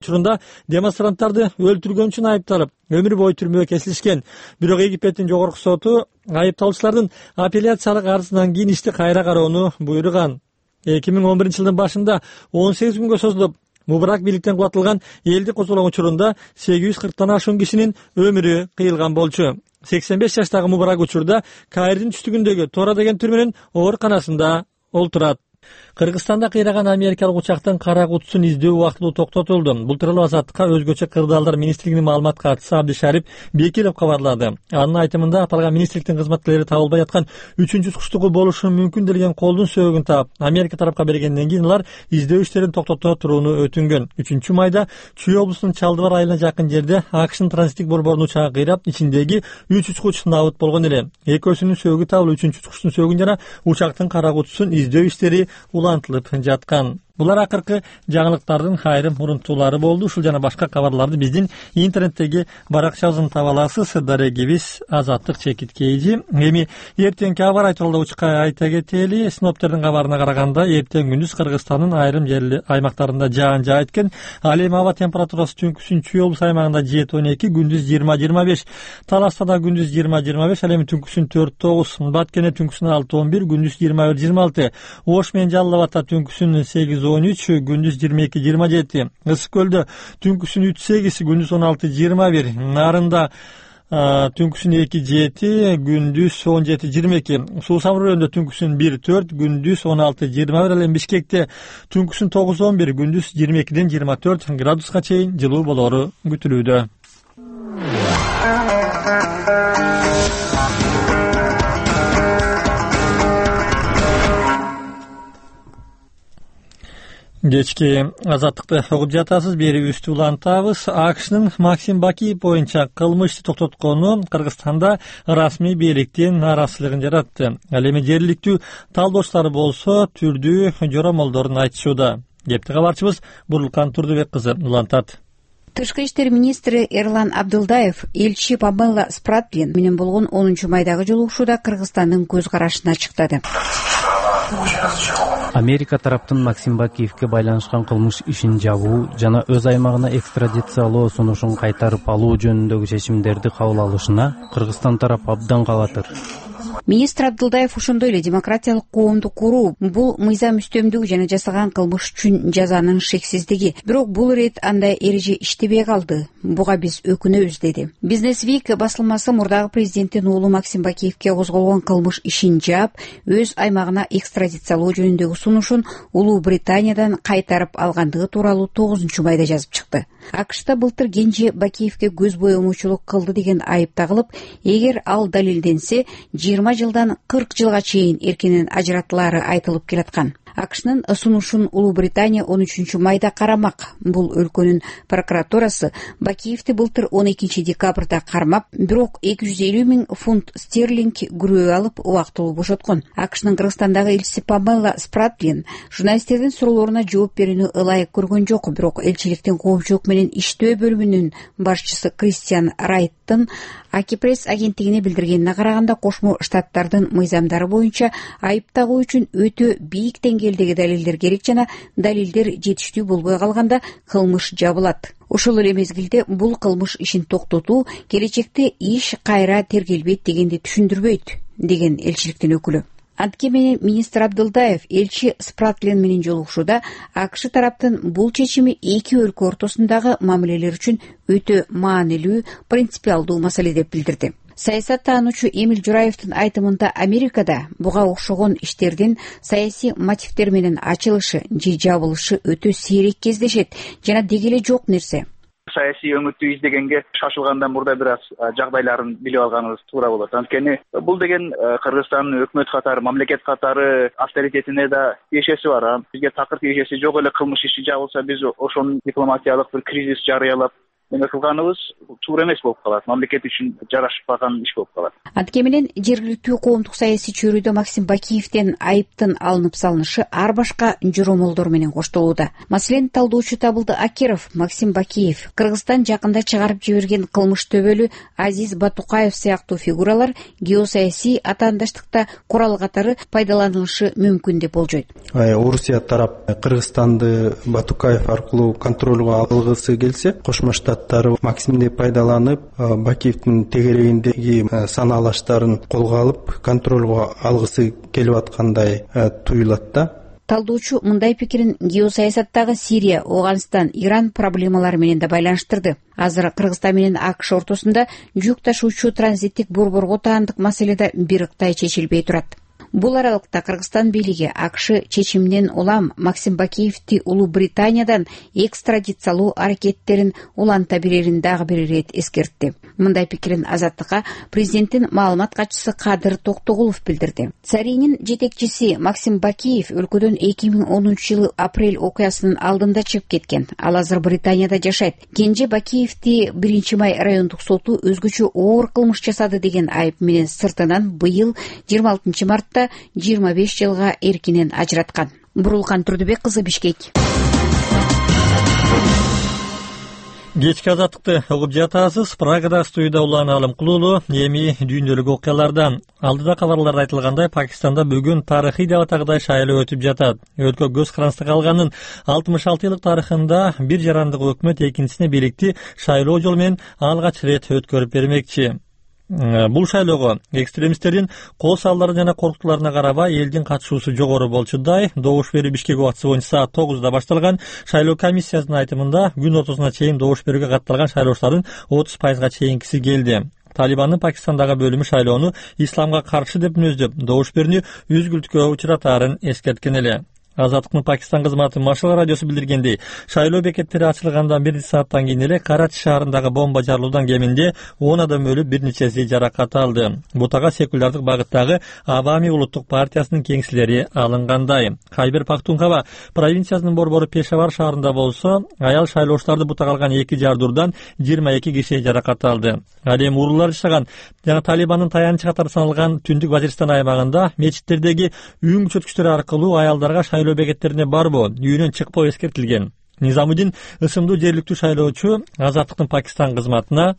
Учурунда демонстранттарды өлтүргөн үчүн айыпталып, өмүр бою түрмөгө кесилишкен. Бирок Египеттин жогорку соту айыпталуучулардын апелляциялык арызынан кийин ишти кайра кароону буйруган. 2011-жылдын башында 18 күнгө созулуп, Мубарак бийликтен кулатылган элди козголгон учурунда 840тан ашуун кишинин өмүрү кыйылган болчу. 85 жаштагы Мубарак учурда Каирдин түштүгүндөгү Тора деген түрмөнүн ооруканасында олтурат. Кыргызстанда кыйраган америкалык учактын кара кутусун издөө убактылуу токтотулду. Бул тууралуу Азаттыкка өзгөчө кырдаалдар министрлигинин маалымат катчысы Абдишарип Бекилов кабарлады. Анын айтымында аталган министрликтин кызматкерлери табылбай аткан 3-чү суктугу болушу мүмкүн делген колдун сөөгүн таап, Америка тарапка бергенден кийин алар издөө иштерин токтото турууну өтүнгөн. 3-майда Чүй облусунун Чалдыбар айылына жакын жерде АКШнын транзиттик борборунун учагы кыйрап, ичиндеги 3 учкуч набыт болгон эле. Экөөсүнүн сөөгү табылып, 3-чү учкучтун сөөгүн жана учактын кара кутусун издөө иштери улантылып жаткан. Булар акыркы жаңылыктардын айрым мурунтуулары болду. Ушул жана башка кабарларды биздин интернеттеги баракчабыздан таба аласыз. Дарегибиз Азаттык чекиткейжи. Эми эртеңки аба ырайы тууралуу айта кетели. Синоптиктердин кабарына караганда, эртең күндүз Кыргызстандын айрым аймактарында жаан жаайт экен. Ал эми аба температурасы түнкүсүн Чүй облус аймагында 7-12, күндүз 20-25, Таласта да күндүз 20-25, ал эми түнкүсүн 4-9, Баткене түнкүсүн 6-11, күндүз 21-26, Ош менен Жалал Абадта түнкүсүн 8-13, күндүз 22-27, Ысык көлдө түнкүсүн 3-8, күндүз 16-21, Нарында түнкүсүн 2-7, күндүз 17-22, Суу Самыр районунда түнкүсүн 1-4, күндүз 16-21, ал эми Бишкекте түнкүсүн 9-11, күндүз 22-24 градуска чейин жылуу болору күтүлүүдө. Кечки Азаттыкты угуп жатасыз, бери үстү улантабыз. АКШнын Максим Бакиев боюнча кылмыш ишти токтоткону Кыргызстанда расмий бийликтин нааразычылыгын жаратты. Ал эми жергиликтүү талдоочулар болсо түрдүү жоромолдорун айтышууда. Кепти кабарчыбыз Бурлукан Турдубек кызы улантат. Тышкы иштер министри Эрлан Абдылдаев элчи Памела Спратлин менен болгон 10-майдагы жолугушууда Кыргызстандын көз карашын ачыктады. Америка тараптын Максим Бакиевке байланышкан кылмыш ишин жабуу жана өз аймагына экстрадициялоо сунушун кайтарып алуу жөнүндөгү чечимдерди кабыл алышына Кыргызстан тарап абдан кабатыр. Министр Абдылдаев ошондой эле демократиялык коомду куруу бул мыйзам үстөмдүгү жана жасаган кылмыш үчүн жазанын шексиздиги. Бирок бул ирет андай эреже иштебей калды. Буга биз өкүнөбүз, деди. Бизнес Week басылмасы мурдагы президенттин уулу Максим Бакиевке козголгон кылмыш ишин жаап, өз аймагына экстрадициялоо жөнүндөгү сунушун Улуу Британиядан кайтарып алгандыгы тууралуу 9-майда жазып чыкты. АКШта былтыр Кенже Бакиевке көз боемочулук кылды деген айып тагылып, эгер ал далилденсе, 20 жылдан 40 жылга чейин эркинен ажыратылары айтылып келаткан. АКШнын сунушун Улуу Британия 13-майда карамак. Бул өлкөнүн прокуратурасы Бакиевди былтыр 12 декабрда кармап, бирок 250 000 фунт стерлинг күрөө алып убактылуу бошоткон. АКШнын Кыргызстандагы элчиси Памела Спратлин журналисттердин суроолоруна жооп берүүнү ылайык көргөн жок, бирок элчиликтин коомчулук менен иштөө бөлүмүнүн башчысы Кристиан Райттын Акипресс агенттигине билдиргенине караганда, Кошмо Штаттардын мыйзамдары боюнча айып тагуу үчүн өтө бийик деңгээлдеги далилдер керек жана далилдер жетиштүү болбой калганда кылмыш жабылат. Ошол эле мезгилде бул кылмыш ишин токтотуу келечекте иш кайра тергелбейт дегенди түшүндүрбөйт, деген элчиликтин өкүлү. Антке менен министр Абдылдаев элчи Спратлин менен жолугушууда АКШ тараптын бул чечими эки өлкө ортосундагы мамилелер үчүн өтө маанилүү, принципиалдуу маселе деп билдирди. Саясаттануучу Эмил Жураевдин айтымында, Америкада буга окшогон иштердин саясий мотивдер менен ачылышы же жабылышы өтө сейрек кездешет жана деги эле жок нерсе. Саясий өңүттү издегенге шашылгандан мурда бир аз жагдайларын билип алганыбыз туура болот. Анткени бул деген Кыргызстандын өкмөт катары, мамлекет катары авторитетине да тиешеси бар. Бизге такыр тиешеси жок эле кылмыш иши жабылса, биз ошонун дипломатиялык бир кризис жарыялап эме кылганыбыз туура эмес болуп калат, мамлекет үчүн жарашпаган иш болуп калат. Антике менен жергиликтүү коомдук саясий чөйрөдө Максим Бакиевден айыптын алынып салынышы ар башка жоромолдор менен коштолууда. Маселен, талдоочу Табылды Акиров Максим Бакиев, Кыргызстан жакында чыгарып жиберген кылмыш төбөлү Азиз Батукаев сыяктуу фигуралар геосаясий атаандаштыкта курал катары пайдаланылышы мүмкүн деп болжойт. Орусия тарап Кыргызстанды Батукаев аркылуу контролго алгысы келсе, Кошмо Штаттар Максимди пайдаланып, Бакиевдин тегерегиндеги санаалаштарын колго алып, контролго алгысы келип аткандай туюлат да. Талдоочу мындай пикирин геосаясаттагы Сирия, Ооганстан, Иран проблемалары менен да байланыштырды. Азыр Кыргызстан менен АКШ ортосунда жүк ташуучу транзиттик борборго таандык маселе да бир ыктай чечилбей турат. Бул аралыкта Кыргызстан бийлиги АКШ чечиминен улам Максим Бакиевди Улуу Британиядан экстрадициялоо аракеттерин уланта берерин дагы бир ирет эскертти. Мындай пикирин Азаттыкка президенттин маалымат катчысы Кадыр Токтогулов билдирди. Царинин жетекчиси Максим Бакиев өлкөдөн 2010-жылы апрель окуясынын алдында чыгып кеткен. Ал азыр Британияда жашайт. Кенже Бакиевди 1-май райондук соту өзгөчө оор кылмыш жасады деген айып менен сыртынан быйыл 26-мартта 25 жылга эркинен ажыраткан. Бурулкан Турдубек кызы, Бишкек. Кечки Азаттыкты угуп жатасыз. Прагада студияда Улан Алым Кулуулу. Эми дүйнөлүк окуялардан. Алдыда кабарларда айтылгандай, Пакистанда бүгүн тарыхый деп атагандай шайлоо өтүп жатат. Өлкө көз карандыга алганын 66 жылдык тарыхында бир жарандык өкмөт экинчисине бийликти шайлоо жолу менен алгач рет өткөрүп бермекчи. Бул шайлоого экстремисттердин кол салдары жана коркутууларына карабай элдин катышуусу жогору болчудай. Добуш берүү Бишкек убактысы боюнча саат 9-да башталган. Шайлоо комиссиясынын айтымында күн ортосуна чейин добуш берүүгө катталган шайлоочулардын 30%га чейинкиси келди. Талибандын Пакистандагы бөлүмү шайлоону исламга каршы деп мүнөздөп, добуш берүүнү үзгүлтүккө учуратаарын эскерткен эле. Азаттыктын Пакистан кызматы Машал радиосу билдиргендей, шайлоо бекеттери ачылгандан бир сааттан кийин эле Карачи шаарындагы бомба жарылуудан кеминде 10 адам өлүп, бир нечеси жаракат алды. Бутага секулярдык багыттагы Авами улуттук партиясынын кеңселери алынгандай. Хайбер Пахтунхва провинциясынын борбору Пешавар шаарында болсо, аял шайлоочуларды бутага алган 2 жардурдан 22 киши жаракат алды. Ал эми уруулар жашаган жана Талибандын таянычы катары саналган Түндүк Вазиристан аймагында мечиттердеги үн күчөткүчтөр аркылуу аялдарга шайлоо бекеттерине барбоо, үйүнөн чыкпоо эскертилген. Низамудин ысымдуу жергиликтүү шайлоочу Азаттыктын Пакистан кызматына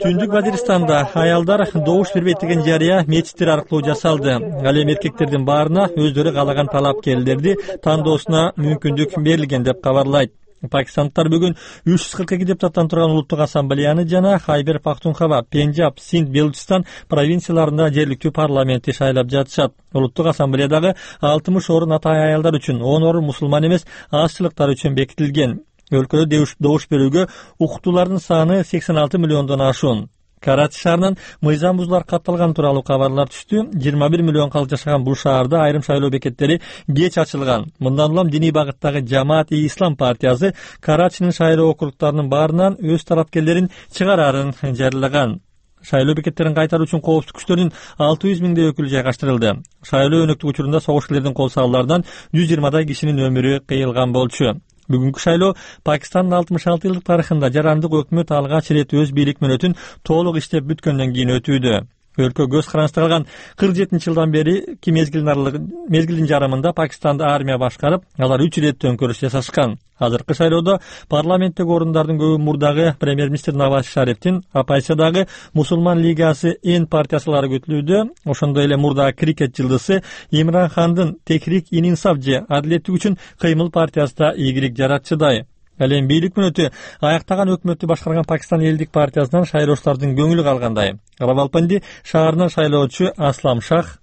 Түндүк Вазиристанда аялдар добуш бербейт деген жарыя мечиттер аркылуу жасалды. Ал эми эркектердин баарына өздөрү каалаган талапкерлерди тандоосуна мүмкүндүк берилген деп кабарлайт. Пакистандықтар бүгін 342 депутаттан тұрған улуттук ассамблеяны жана Хайбер Пахтунхва, Пенджаб, Синд, Белучистан провинцияларында жергиликтүү парламентти шайлап жатышат. Улуттук ассамблеядагы 60 орун атайын аялдар үчүн, 10 орун мусулман эмес азчылыктар үчүн бекитилген. Өлкөдө добуш берүүгө укуктуулардын саны 86 миллиондон ашуун. Карачи шаарынан мыйзам бузуулар катталган тууралуу кабарлар түштү. 21 миллион калк жашаган бул шаарда айрым шайлоо бекеттери кеч ачылган. Мындан улам диний багыттагы Жамаат-и-Ислам партиясы Карачинин шайлоо округтарынын баарынан өз талапкерлерин чыгарарын жарыялаган. Шайлоо бекеттерин кайтаруу үчүн коопсуздук күчтөрүнүн 600 миңдей өкүлү жайгаштырылды. Шайлоо өнөктүк учурунда согушкерлердин кол салууларынан 120 кишинин өмүрү кыйылган болчу. Бүгүнкү шайлоо Пакистандын 66 жылдык тарыхында жарандык өкмөт алгач рет өз бийлик мөөнөтүн толук иштеп бүткөндөн кийин өтүүдө. Өлкө көз карандыга алган 47-жылдан бери мезгилдин жарымында Пакистанды армия башкарып, алар 3 рет төңкөрүш жасашкан. Азыркы шайлоодо парламенттеги орундардын көбү мурдагы премьер-министр Наваз Шарифтин, оппозициядагы Мусулман лигасы Эн партиясылары көтүлүүдө. Ошондой эле мурдагы крикет жылдысы Имран Хандын Техрик-ин-Инсаф же Адилеттик үчүн кыймыл партиясы да ийгилик жаратчыдай. Ал эми бийлик мөөнөтү аяктаган өкмөттү башкарган Пакистан элдик партиясынан шайлоочулардын көңүлү калгандай. Равалпинди шаарынан шайлоочу Аслам Шах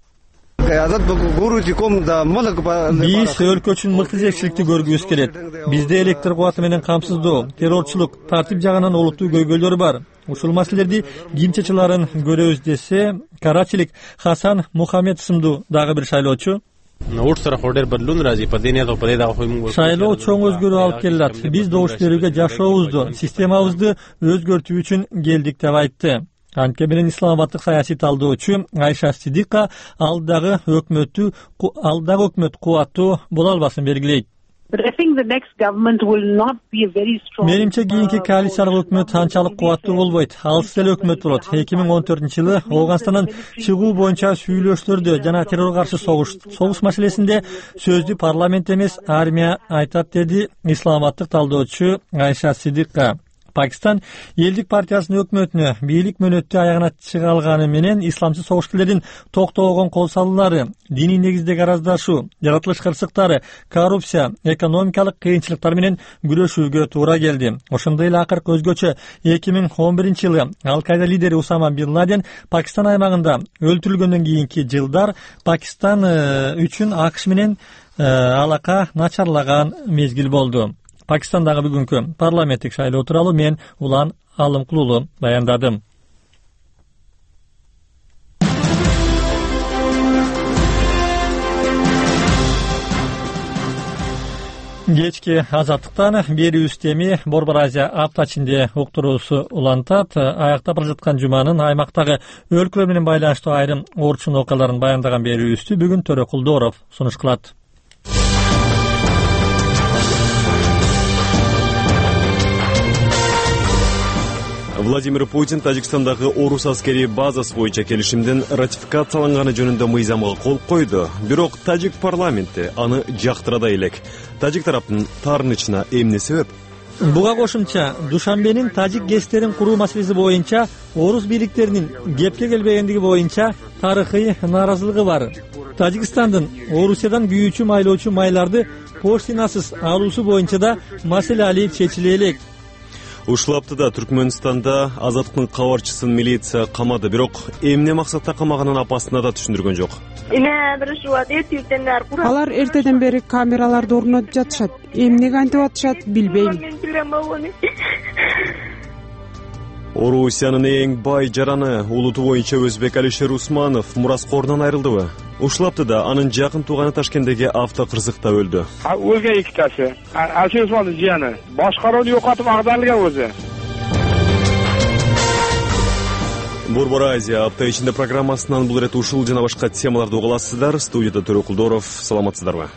биз өлкө үчүн мыкты жетекчиликти көргүбүз келет. Бизде электр кубаты менен камсыздоо, террорчулук, тартип жагынан олуттуу көйгөйлөр бар. Ушул маселелерди ким чечиларын көрөбүз десе, карачилик Хасан Мухаммед сымдуу дагы бир шайлоочу шайлоо чоң өзгөрүү алып келет. Биз добуш берүүгө жашообузду, системабызды өзгөртүү үчүн келдик деп айтты. Антке менен исламабаддык саясий талдоочу Айша Сидика алдагы өкмөт кубаттуу боло албасын белгилейт. Менимче кийинки коалициялык өкмөт анчалык кубаттуу болбойт. Алыс эле өкмөт болот. 2014-жылы Ооганстандан чыгуу боюнча сүйлөшүүлөрдө жана террорго каршы согуш маселесинде сөздү парламент эмес, армия айтат, деди исламабаддык талдоочу Айша Сидикка. Пакистан элдик партиясынын өкмөтүнө бийлик мөөнөттү аягына чыгалганы менен исламчы согушкерлердин токтогон кол салуулары, диний негиздеги араздашуу, жаратылыш кырсыктары, коррупция, экономикалык кыйынчылыктар менен күрөшүүгө туура келди. Ошондой эле акыркы өзгөчө 2011-жылы Ал-Каида лидери Усама Бин Ладен Пакистан аймагында өлтүрүлгөндөн кийинки жылдар Пакистан үчүн АКШ менен алака начарлаган мезгил болду. Пакистандагы бүгүнкү парламенттик шайлоо тууралуу мен Улан Алымкулуулу баяндадым. Кечки азаттыктан берүүбүз эми Борбор Азия апта ичинде уктуруусу улантат. Аяктап бара жаткан жуманын аймактагы өлкөлөр менен байланыштуу айрым орчун окуяларын баяндаган берүүбүздү бүгүн Төрөкулдоров сунуш кылат. Владимир Путин Тажикстандагы Орус аскери базасы боюнча келишимдин ратификацияланганы жөнүндө мыйзамга кол койду. Бирок тажик парламенти аны жактыра да элек. Тажик тараптын таарынычына эмне себеп? Буга кошумча Душанбенин тажик ГЭСтерин куруу маселеси боюнча орус бийликтеринин кепке келбегендиги боюнча тарыхый нааразылыгы бар. Тажикстандын Орусиядан күйүүчү майлоочу майларды поштинасыз алуусу боюнча да маселе алып чечиле элек. Ушул аптада Түркмөнстанда азаттыктын кабарчысын милиция камады, бирок эмне максатта камаганын апасына да түшүндүргөн жок. Алар эртеден бери камераларды орнотуп жатышат. Эмнеге антип атышат билбейм. Орусиянын эң бай жараны улуту боюнча Өзбек Алишер Усманов мураскорунан айрылдыбы? Ушул аптада анын жакын тууганы Ташкенттеги автокырсыкта өлдү. Өлгөн экитасы. Алишер Усмановдун жыяны. Башкарууну жокотуп агдарлыган өзү. Борбор Азия апта ичинде программасынан бул ирет ушул жана башка темаларды угаласыздар. Студияда Төрөкулдоров, саламатсыздарбы?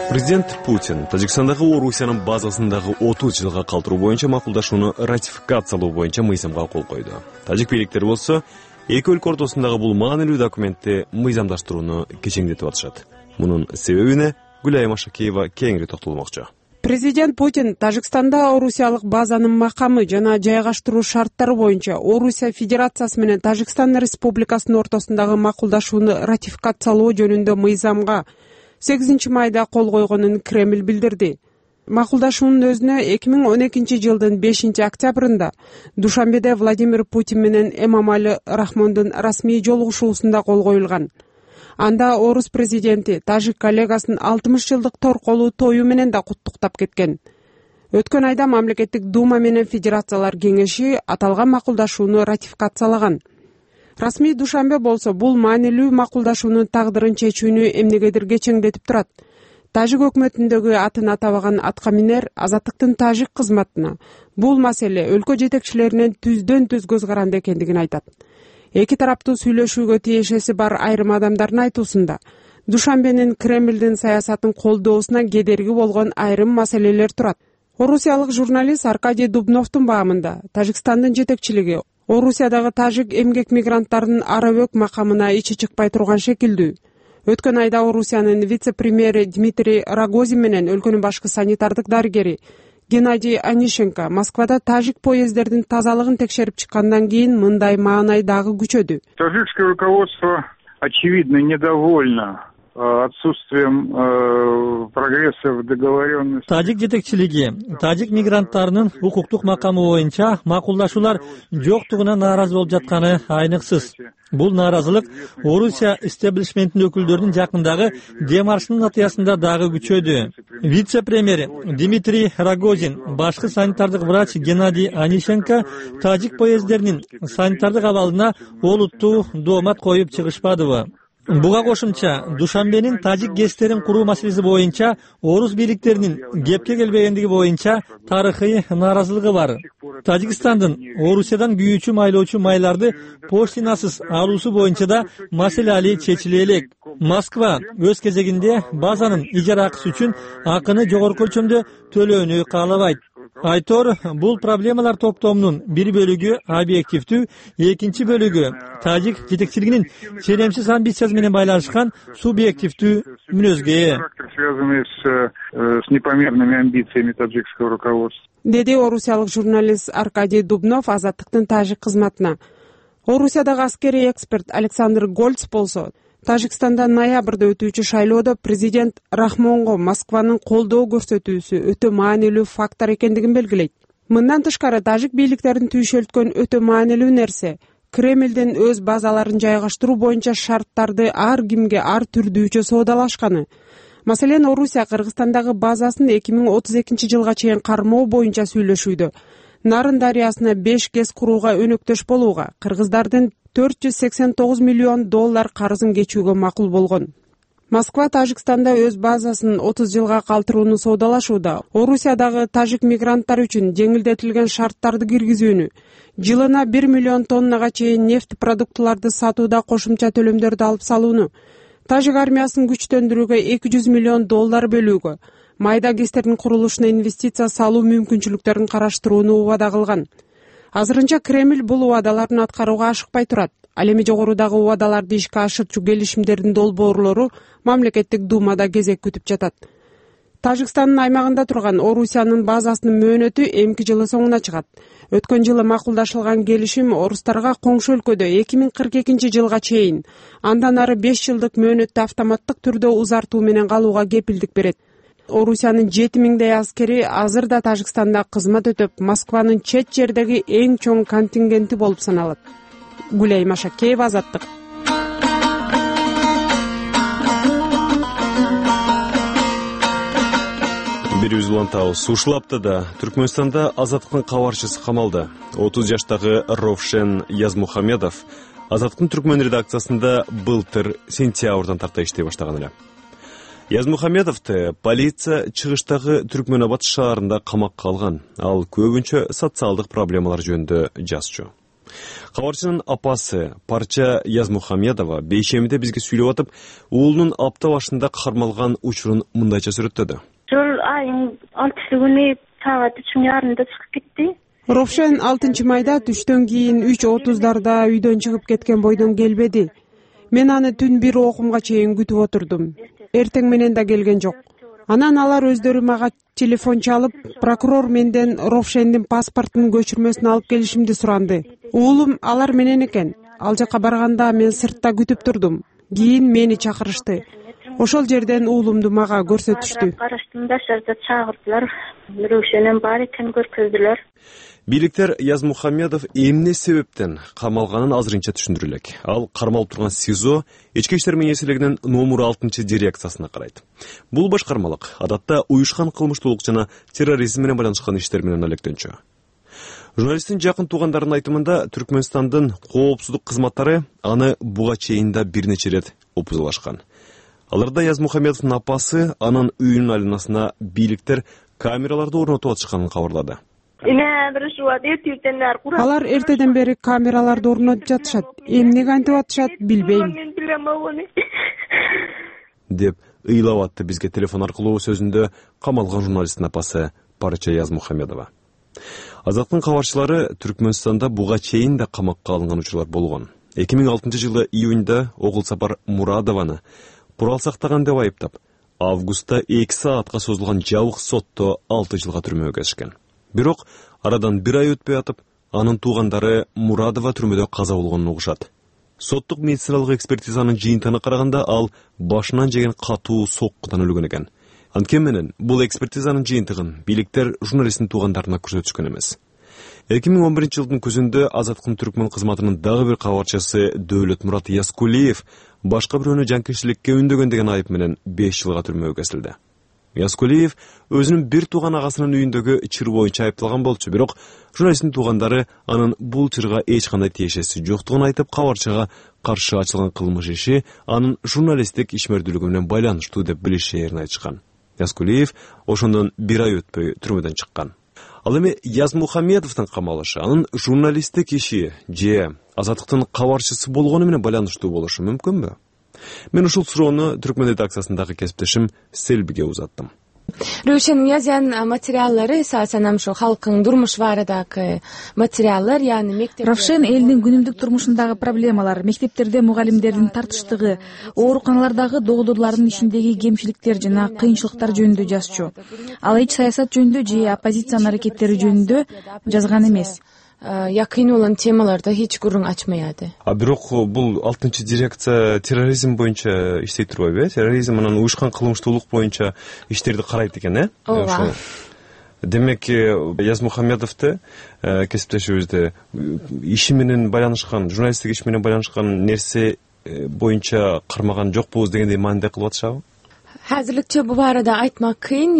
Президент Путин Тажикстандагы Орусиянын базасындагы 30 жылга калтыруу боюнча макулдашууну ратификациялоо боюнча мыйзамга кол койду. Тажик бийликтери болсо эки өлкө ортосундагы бул маанилүү документти мыйзамдаштырууну кечеңдетип атышат. Мунун себебине Гүлайым Ашакиева кеңири токтолмокчу. Президент Путин Тажикстанда орусиялык базанын макамы жана жайгаштыруу шарттары боюнча Орусия Федерациясы менен Тажикстан Республикасынын ортосундагы макулдашууну ратификациялоо жөнүндө мыйзамга 8 майда кол койгонун Кремль билдирди. Макулдашуунун өзүнө 2012-жылдын 5-октябрында Душанбеде Владимир Путин менен Эмомали Рахмондун расмий жолугушуусунда кол коюлган. Анда орус президенти тажик коллегасын 60 жылдык торколуу тою менен да куттуктап кеткен. Өткөн айда мамлекеттик дума менен Федерациялар кеңеши аталган макулдашууну ратификациялаган. Расмий Душанбе болсо бул маанилүү макулдашуунун тагдырын чечүүнү эмнегедир кечеңдетип турат. Тажик өкмөтүндөгү атын атабаган аткаминер Азаттыктын тажик кызматына бул маселе өлкө жетекчилеринин түздөн-түз көз каранды экендигин айтат. Эки тараптуу сүйлөшүүгө тиешеси бар айрым адамдардын айтуусунда Душанбенин Кремлдин саясатын колдоосуна кедерги болгон айрым маселелер турат. Орусиялык журналист Аркадий Дубновдун баамында Тажикстандын жетекчилиги Орусиядагы тажик эмгек мигранттарынын арабөк макамына ичи чыкпай турган шекилдүү. Өткөн айда Орусиянын вице-премьери Дмитрий Рогозин менен өлкөнүн башкы санитардык дарыгери Геннадий Онищенко Москвада тажик поезддердин тазалыгын текшерип чыккандан кийин мындай маанай дагы күчөдү. Таджикское руководство очевидно недовольно отсутствием прогресса в договоренности. Тажик жетекчилиги тажик мигранттарынын укуктук макамы боюнча макулдашуулар жоктугуна нааразы болуп жатканы айныксыз. Бул нааразылык Орусия истеблишментинин өкүлдөрүнүн жакындагы демаршынын натыясында дагы күчөдү. Вице-премьер Дмитрий Рогозин, башкы санитардык врач Геннадий Онищенко тажик поезддеринин санитардык абалына олуттуу доомат коюп чыгышпадыбы? Буга кошумча Душанбенин тажик гэстерин куруу маселеси боюнча орус бийликтеринин кепке келбегендиги боюнча тарыхый нааразылыгы бар. Тажикстандын Орусиядан күйүүчү майлоочу майларды поштинасыз алуусу боюнча да маселе али чечиле элек. Москва өз кезегинде базанын ижара акысы үчүн акыны жогорку өлчөмдө төлөөнү каалабайт. Айтор, бул проблемалар топтомунун бир бөлүгү объективдүү, экинчи бөлүгү тажик жетекчилигинин ченемсиз амбициясы менен байланышкан субъективдүү мүнөзгө ээ. Связанный с непомерными амбициями таджикского руководства. Деди орусиялык журналист Аркадий Дубнов Азаттыктын тажик кызматына. Орусиядагы аскерий эксперт Александр Гольц болсо, Тажикстанда ноябрда өтүүчү шайлоодо президент Рахмонго Москванын колдоо көрсөтүүсү өтө маанилүү фактор экендигин белгилейт. Мындан тышкары тажик бийликтерин түйшөлткөн өтө маанилүү нерсе Кремлдин өз базаларын жайгаштыруу боюнча шарттарды ар кимге ар түрдүүчө соодалашканы. Маселен, Орусия Кыргызстандагы базасын 2032-жылга чейин кармоо боюнча сүйлөшүүдө. Нарын дарыясына 5 ГЭС курууга өнөктөш болууга, кыргыздардын $489 миллион карызын кечүүгө макул болгон. Москва Тажикстанда өз базасын 30 жылга калтырууну соодалашууда. Орусиядагы тажик мигранттар үчүн жеңилдетилген шарттарды киргизүүнү, жылына 1 миллион тоннага чейин нефть продуктуларды сатууда кошумча төлөмдөрдү алып салууну, тажик армиясын күчтөндүрүүгө $200 миллион бөлүүгө, майда гэстердин курулушуна инвестиция салуу мүмкүнчүлүктөрүн караштырууну убада кылган. Азырынча Кремль бул убадаларын аткарууга ашыкпай турат. Ал эми жогорудагы убадаларды ишке ашырчу келишимдердин долбоорлору мамлекеттик думада кезек күтүп жатат. Тажикстандын аймагында турган Орусиянын базасынын мөөнөтү эмки жылы соңуна чыгат. Өткөн жылы макулдашылган келишим орустарга коңшу өлкөдө 2042-жылга чейин, андан ары 5 жылдык мөөнөттү автоматтык түрдө узартуу менен калууга кепилдик берет. Орусиянын 7000 аскери азырда Тажикстанда кызмат өтөп, Москванын чет жердеги эң чоң контингенти болуп саналат. Гулей Машакеева, Азаттык. Бирибиз улантабыз. Ушул аптада Түркмөнстанда Азаттыктын кабарчысы камалды. 30 жаштагы Ровшен Язмухамедов Азаттыктын Түркмөн редакциясында былтыр сентябрдан тарта иштей баштаган эле. Язмухамедовду полиция чыгыштагы Түркмөнабад шаарында камакка алган. Ал көбүнчө социалдык проблемалар жөнүндө жазчу. Кабарчынын апасы Парча Язмухамедова бейшемиде бизге сүйлөп атып, уулунун апта башында кармалган учурун мындайча сүрөттөдү. Жыл айын 6-күнү саат 3:30 чыгып кетти. Ровшен 6 майда түштөн кийин 3:30 үйдөн чыгып кеткен бойдон келбеди. Мен аны түн 1 окумга чейин күтүп отурдум. Эртең менен да келген жок. Анан алар өздөрү мага телефон чалып, прокурор менден Ровшендин паспортунун көчүрмөсүн алып келишимди суранды. Уулум алар менен экен. Ал жака барганда мен сыртта күтүп турдум. Кийин мени чакырышты. Ошол жерден уулумду мага көрсөтүштү. Караштым да шарда чагырдылар. Ровшенин бар экенин көрсөздүлөр. Бийликтер Язмухамедов эмне себептен камалганын азырынча түшүндүрө элек. Ал кармалып турган СИЗО Ички иштер министрлигинин номер 6 дирекциясына карайт. Бул башкармалык адатта уюшкан кылмыштуулук жана терроризм менен байланышкан иштер менен алектенчү. Журналисттин жакын туугандарынын айтымында Түркмөнстандын коопсуздук кызматтары аны буга чейин да бир нече ирет опузалашкан. Аларда Язмухамедовдун апасы анын үйүнүн айланасына бийликтер камераларды орнотуп атышканын кабарлады. Алар эртеден бери камераларды орнотуп жатышат. Эмнеге антип атышат билбейм. Деп ыйлап атты бизге телефон аркылуу сөзүндө камалган журналисттин апасы Парча Язмухамедова. Азаттыктын кабарчылары Түркмөнстанда буга чейин да камакка алынган учурлар болгон. 2006-жылы июньда Огулсапар Мурадованы курал сактаган деп айыптап, августта 2 саатка созулган жабык сотто 6 жылга түрмөгө кесишкен. Бирок арадан 1 ай өтпөй атып, анын туугандары Мурадова түрмөдө каза болгонун угушат. Соттук медициналык экспертизанын жыйынтыгына караганда ал башынан жеген катуу соккудан өлгөн экен. Анткени менен бул экспертизанын жыйынтыгын бийликтер журналисттин туугандарына көрсөтүшкөн эмес. 2011-жылдын күзүндө Азаттыктын Түркмөн кызматынын дагы бир кабарчысы Дөөлөт Мурат Яскулиев башка бирөөнү жанкечтиликке үндөгөн деген айып менен 5 жылга түрмөгө кесилди. Яскулиев өзүнүн бир тууган агасынын үйүндөгү чыр боюнча айыпталган болчу, бирок журналисттин туугандары анын бул чырга эч кандай тиешеси жоктугун айтып, кабарчыга каршы ачылган кылмыш иши анын журналисттик ишмердүүлүгү менен байланыштуу деп билишээрин айтышкан. Яскулиев ошондон бир ай өтпөй түрмөдөн чыккан. Ал эми Язмухамедовдун камалышы анын журналисттик иши же Азаттыктын кабарчысы болгону менен байланыштуу болушу мүмкүнбү? Мен ушул суроону Түркмөн редакциясындагы кесиптешим Селбиге узаттым. Рушен Уязян материаллары эсасен ошо халктын турмуш баарындагы материаллар, яны мектеп. Равшен элдин күнүмдүк турмушундагы проблемалар, мектептерде мугалимдердин тартыштыгы, ооруканалардагы докторлордун ишиндеги кемчиликтер жана кыйынчылыктар жөнүндө жазчу. Ал эч саясат жөнүндө же оппозициянын аракеттери жөнүндө жазган эмес. Якын olan темаларда эч курун ачмаяды. Бирок бул 6-дирекция терроризм боюнча иштей турбайбы? Терроризм менен уюшкан кылмыштуулук боюнча иштерди карайт экен, Ооба. Демек, Язмухамедовду кесиптешибизде иши менен байланышкан, журналисттик иш менен байланышкан нерсе боюнча кармаган жокпуз дегендей мааниде кылып атышабы? Азырынча бул барада айтмак кыйын,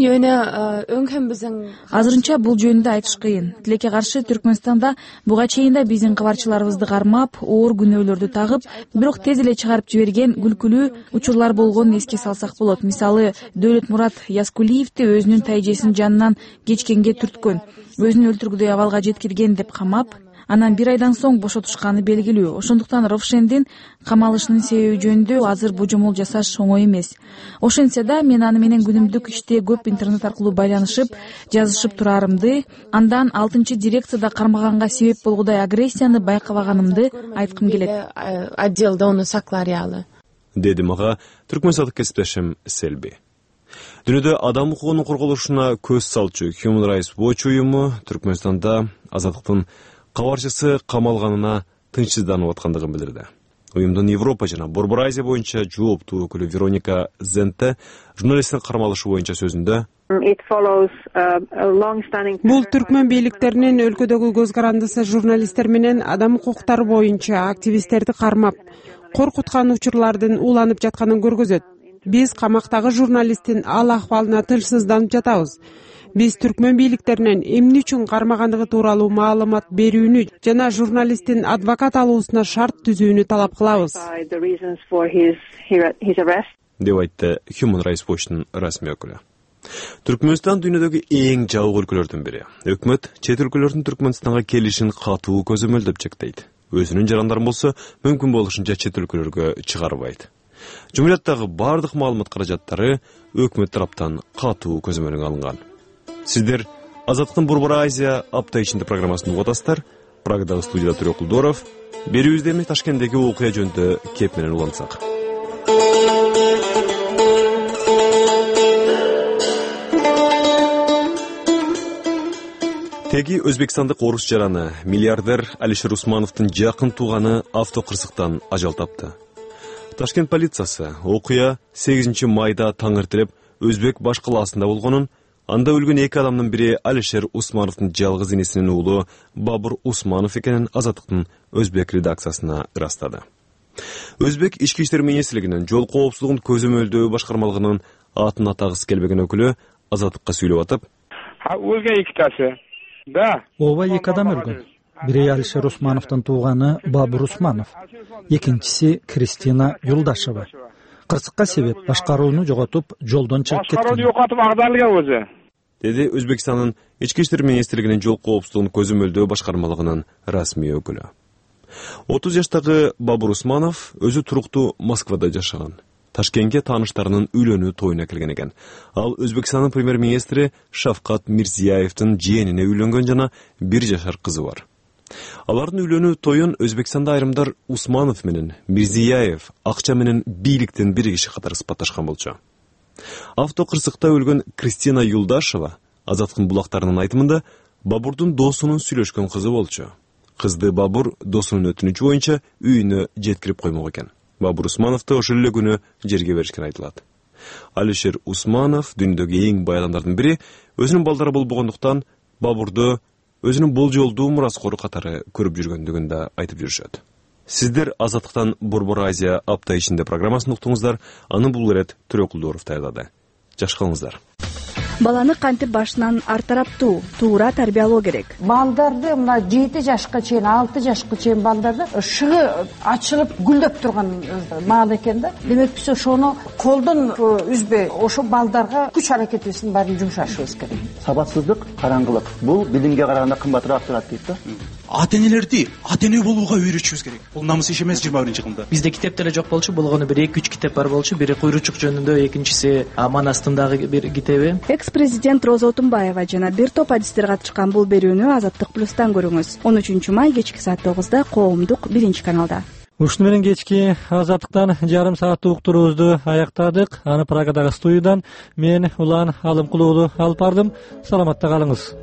өңкөн биздин азырынча бул жөнүндө айтыш кыйын. Тилекке каршы Түркмөнстанда буга чейин да биздин кабарчыларыбызды кармап, оор күнөөлөрдү тагып, бирок тез эле чыгарып жиберген күлкүлүү учурлар болгонун эске салсак болот. Мисалы, Дөөлөтмурат Яскулиевди өзүнүн тайжесинин жанынан кечкенге түрткөн, өзүн өлтүргүдөй абалга жеткирген деп камап, анан бир айдан соң бошотушканы белгилүү. Ошондуктан Равшендин камалышынын себеби жөнүндө азыр божомол жасаш оңой эмес. Ошентсе да мен аны менен күнүмдүк иште көп интернет аркылуу байланышып, жазышып турарымды, андан 6-дирекцияда кармаганга себеп болгудай агрессияны байкабаганымды айткым келет. Отделда оны сакларялы. Деди мага түркмөнстандык кесиптешим Селби. Дүйнөдө адам укугунун корголушуна көз салчу Human Rights Watch уюму Түркмөнстанда Азаттыктын кабарчысы камалганына тынчсызданып аткандыгын билдирди. Уюмдун Европа жана Борбор Азия боюнча жооптуу өкүлү Вероника Зенте журналисттин кармалышы боюнча сөзүндө бул түркмөн бийликтеринин өлкөдөгү көз карандысы журналисттер менен адам укуктары боюнча активисттерди кармап, коркуткан учурлардын уланып жатканын көргөзөт. Биз камактагы журналисттин ал акыбалына тынчсызданып жатабыз. Биз түркмөн бийликтеринен эмне үчүн кармагандыгы тууралуу маалымат берүүнү жана журналисттин адвокат алуусуна шарт түзүүнү талап кылабыз, деп айтты Human Rights Watch'тун расмий өкүлү. Түркмөнстан дүйнөдөгү эң жабык өлкөлөрдүн бири. Өкмөт чет өлкөлөрдүн Түркмөнстанга келишин катуу көзөмөлдөп чектейт. Өзүнүн жарандарын болсо мүмкүн болушунча чет өлкөлөргө чыгарбайт. Жумурияттагы бардык маалымат каражаттары өкмөт тараптан катуу көзөмөлгө алынган. Сиздер Азаттыктын Борбор Азия апта ичинде программасын угуп атасыздар. Прагадагы студияда Төрөк Кулдоров. Берүүбүздө эми Ташкенттеги окуя жөнүндө кеп менен улантсак. Теги Өзбекстандык орус жараны миллиардер Алишер Усмановдун жакын тууганы автокырсыктан ажал тапты. Ташкент полициясы окуя 8 майда таң эртелеп Өзбек баш калаасында болгонун, анда өлгөн 2 адамдын бири Алишер Усмановдун жалгыз инесинин уулу Бабур Усманов экенин Азаттыктын Өзбек редакциясына ырастады. Өзбек ички иштер министрлигинин жол коопсуздугун көзөмөлдөө башкармалыгынын атын атагысы келбеген өкүлү Азаттыкка сүйлөп атып, өлгөн 2 тасы. Да. Ооба 2 адам өлгөн. Бири Алишер Усмановдун тууганы Бабур Усманов, экинчиси Кристина Юлдашева. Кырсыкка себеп башкарууну жоготуп, жолдон чыгып кеткен. Башкарууну жоготуп агдалган өзү. Деди Өзбекстандын ички иштер министрлигинин жол коопсуздугун көзөмөлдөө башкармалыгынын расмий өкүлү. 30 жаштагы Бабур Усманов өзү туруктуу Москвада жашаган. Ташкентке тааныштарынын үйлөнүү тоюна келген экен. Ал Өзбекстандын премьер-министри Шавкат Мирзияевдин жээнине үйлөнгөн жана 1 жашар кызы бар. Алардын үйлөнүү тоюн Өзбекстанда айрымдар Усманов менен Мирзияев акча менен бийликтин бир киши катары сыпатташкан болчу. Автокырсыкта өлгөн Кристина Юлдашева Азаттыктын булактарынын айтымында Бабурдун досунун сүйлөшкөн кызы болчу. Кызды Бабур досунун өтүнүчү боюнча үйүнө жеткирип коймок экен. Бабур Усмановду ошол эле күнү жерге беришкен айтылат. Алишер Усманов дүйнөдөгү эң бай адамдардын бири, өзүнүн балдары болбогондуктан Бабурду өзүнүн болжолдуу мураскору катары көрүп жүргөндүгүн да айтып жүрүшөт. Сиздер Азаттыктан Борбор Азия апта ичинде программасын уктуңуздар. Аны бул ирет Төрөк Кулдоров даярдады. Жакшы калыңыздар. баланы кантип башынан артараптуу туура тарбиялоо керек. Балдарды мына 7 жашка чейин 6 жашка чейин балдарда шыгы ачылып гүлдөп турган маал экен да. Демек биз ошону колдон үзбөй ошо балдарга күч аракетибиздин баарын жумшашыбыз керек. Сабатсыздык, караңгылык бул билимге караганда кымбатыраак турат дейт да. Ата энелерди ата эне болууга үйрөтүшүбүз керек. Бул намыс иш эмес 21-кылымда. Бизде китеп деле жок болчу, болгону бир 2-3 китеп бар болчу. Бири Куйручук жөнүндө, экинчиси Аман астындагы бир китеби. Экс-президент Роза Отунбаева жана бир топ адистер катышкан бул берүүнү Азаттык плюстан көрүңүз. 13 май кечки саат 9-да Коомдук 1-каналда. Ушуну менен кечки Азаттыктан жарым сааттык уктуруубузду аяктадык. Аны Прагадагы студиядан мен Улан Алымкулуу алып бардым. Саламатта калыңыз.